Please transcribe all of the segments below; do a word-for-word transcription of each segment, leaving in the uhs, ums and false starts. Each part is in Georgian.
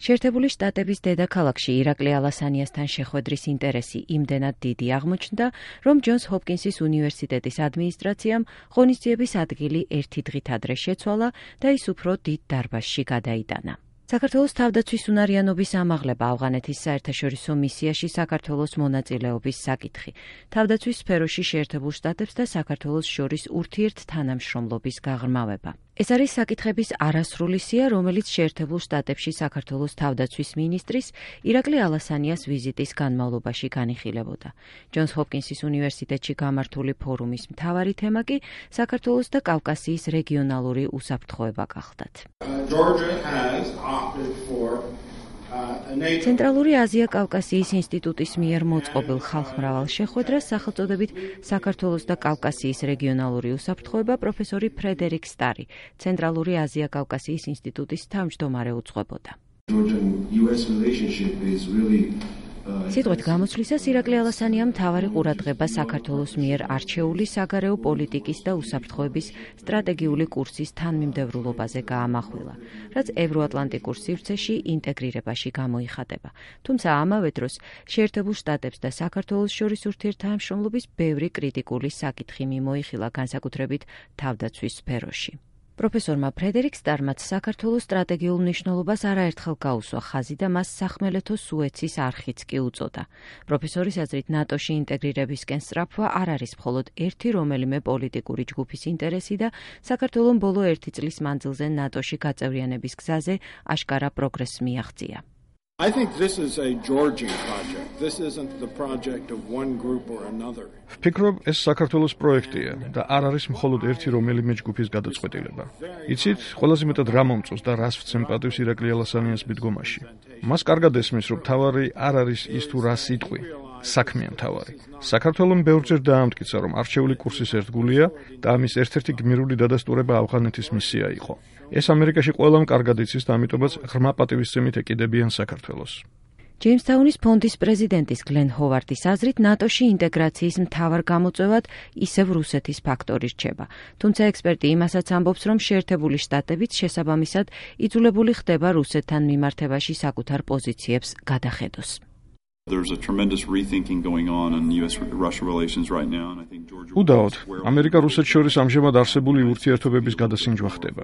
შეერთებული შტატების დედაქალაქში ირაკლი ალასანიასთან შეხვედრის ინტერესი იმდენად დიდი აღმოჩნდა, რომ ჯონს ჰოპკინსის უნივერსიტეტის ადმინისტრაციამ ღონისძიების ადგილი ერთი დღით ადრე შეცვალა და ის უფრო დიდ დარბაზში გადაიტანა. საქართველოს თავდაცვის უნარიანობის ამაღლება ავღანეთის საერთაშორისო მისიაში საქართველოს მონაწილეობის საკითხი. თავდაცვის სფეროში შეერთებულ შტატებს და საქართველოს შორის ურთიერთთანამშრომლობის გაღრმავება. ეს არის საკითხების არასრული სია, რომელიც შეერთებულ შტატებში საქართველოს თავდაცვის მინისტრის ირაკლი ალასანიას ვიზიტის განმავლობაში განიხილებოდა. ჯონს ჰოპკინსის უნივერსიტეტში გამართული ფორუმის მთავარი თემა კი საქართველოს და კავკასიის რეგიონალური უსაფრთხოება გახლდათ. ცენტრალური აზია-კავკასიის ინსტიტუტის მიერ მოწყობილ ხალხმრავალ შეხვედრას სახელწოდებით საქართველოს და კავკასიის რეგიონალური უსაფრთხოება პროფესორი ფრედერიკ სტარი, ცენტრალური აზია-კავკასიის ინსტიტუტის თავმჯდომარე უძღვებოდა. სიტყვით გამოცვლისას ირაკლი ალასანიამ მთავარი ყურადღება საქართველოს მიერ არჩეული საგარეო პოლიტიკის და უსაფრთხოების სტრატეგიული კურსის თანმიმდევრულობაზე გაამახვილა, რაც ევროატლანტიკურ სივრცეში ინტეგრირებაში გამოიხატება. თუმცა ამავე დროს შეერთებულ შტატებს და საქართველოს შორის ურთიერთთანამშრომლობის ბევრი კრიტიკული საკითხი მიმოიხილა, განსაკუთრებით თავდაცვის სფეროში. პროფესორმა ფრედერიკ სტარმაც საქართველოს სტრატეგიულ მნიშვნელობას არაერთხელ გაუსვა ხაზი და მას სახმელეთო სუეცის არხიც კი უწოდა. პროფესორის აზრით, ნატოში ინტეგრირებისკენ სწრაფვა არ არის მხოლოდ ერთი რომელიმე პოლიტიკური ჯგუფის ინტერესი და საქართველომ ბოლო ერთი წლის მანძილზე ნატოში გაწევრიანების გზაზე აშკარა პროგრესს მიაღწია. I think this is a Georgian project. This isn't the project of one group or another. ვფიქრობ, ეს საქართველოს პროექტია და არ არის მხოლოდ ერთი რომელიმე ჯგუფის გადაწყვეტილება. იცით, ყველაზე მეტად რა მომწონს და რას ვცემ პატივს ირაკლი ალასანიას მიდგომაში. მას კარგად ესმის, რომ თავარი არ არის ის თუ რა სიტყვი, საქმეა მთავარი. საქართველომ ბევრჯერ დაამტკიცა, რომ არჩეული კურსის ერთგულია და ამის ერთ-ერთი გმირული დადასტურება ავღანეთის მისია იყო. ეს ამერიკაში ყველამ კარგად იცის და ამიტომაც ღრმა პატივისცემით ეკიდებიან საქართველოს. ჯეიმსტაუნის ფონდის პრეზიდენტის გლენ ჰოვარდის აზრით, ნატოში ინტეგრაციის მთავარ გამოწვევად ისევ რუსეთის ფაქტორი რჩება. თუმცა ექსპერტი იმასაც ამბობს, რომ შეერთებული შტატებიც შესაბამისად იძულებული ხდება რუსეთთან მიმართებაში საკუთარ პოზიციებს გადახედოს. There's a tremendous rethinking going on in U S Russia relations right now and I think Georgia უდაოდ, ამერიკა-რუსეთს შორის ამჟამად არსებული ურთიერთობების გადასინჯვა ხდება.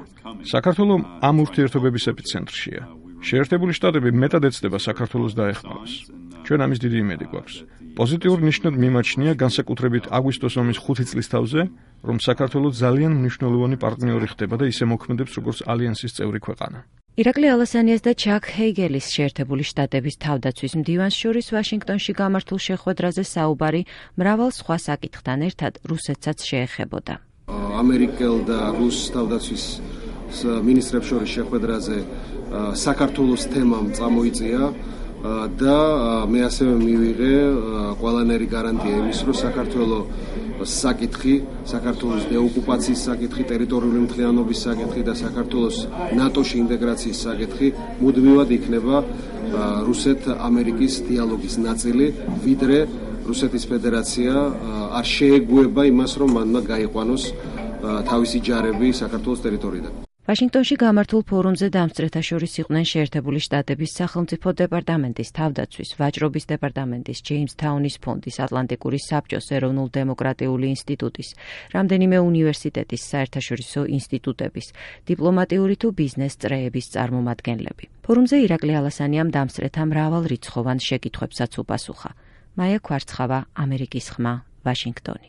საქართველოს ამ ურთიერთობების ეპიცენტრშია. შეერთებული შტატები მეტად ეცდება საქართველოს დაეხმაროს. ჩვენ ამის დიდი იმედი გვაქვს. პოზიტიურ ნიშნად მიმაჩნია განსაკუთრებით აგვისტოს ომის ხუთი წლის თავზე, რომ საქართველოს ძალიან მნიშვნელოვანი პარტნიორი ხდება და ისე მოქმედებს როგორც ალიანსის წევრი ქვეყანა. ირაკლი ალასანიას და ჩაკ ჰეიგელის შეერთებული შტატების თავდაცვის მდივანს შორის ვაშინგტონში გამართულ შეხვედრაზე საუბარი მრავალ სხვა საკითხთან ერთად რუსეთსაც შეეხებოდა. ამერიკელ და რუს თავდაცვის მინისტრებს შორის შეხვედრაზე საქართველოს თემამ წამოიწია და მე ასევე მივიღე ყველანაირი გარანტია იმის, რომ საქართველოს საკითხი, საქართველოს დეოკუპაციის საკითხი, ტერიტორიული მთლიანობის საკითხი და საქართველოს ნატოში ინტეგრაციის საკითხი მუდმივად იქნება რუსეთ-ამერიკის დიალოგის ნაწილი, ვიდრე რუსეთის ფედერაცია არ შეეგუება იმას, რომ მანმა გაიყვანოს თავისი ჯარები საქართველოს ტერიტორიიდან. ვაშინგტონში გამართულ ფორუმზე დამსწრეთა შორის იყვნენ შეერთებული შტატების სახელმწიფო დეპარტამენტის თავდაცვის, ვაჭრობის დეპარტამენტის, ჯეიმსთაუნის ფონდის, ატლანტიკური საბჭოს, ეროვნულ-დემოკრატიული ინსტიტუტის, რამდენიმე უნივერსიტეტის, საერთაშორისო ინსტიტუტების, დიპლომატიური თუ ბიზნეს წრეების წარმომადგენლები. ფორუმზე ირაკლი ალასანიამ დამსწრეთა მრავალრიცხოვან შეკითხვებსაც უპასუხა. მაია ქვარცხავა, ამერიკის ხმა, ვაშინგტონი.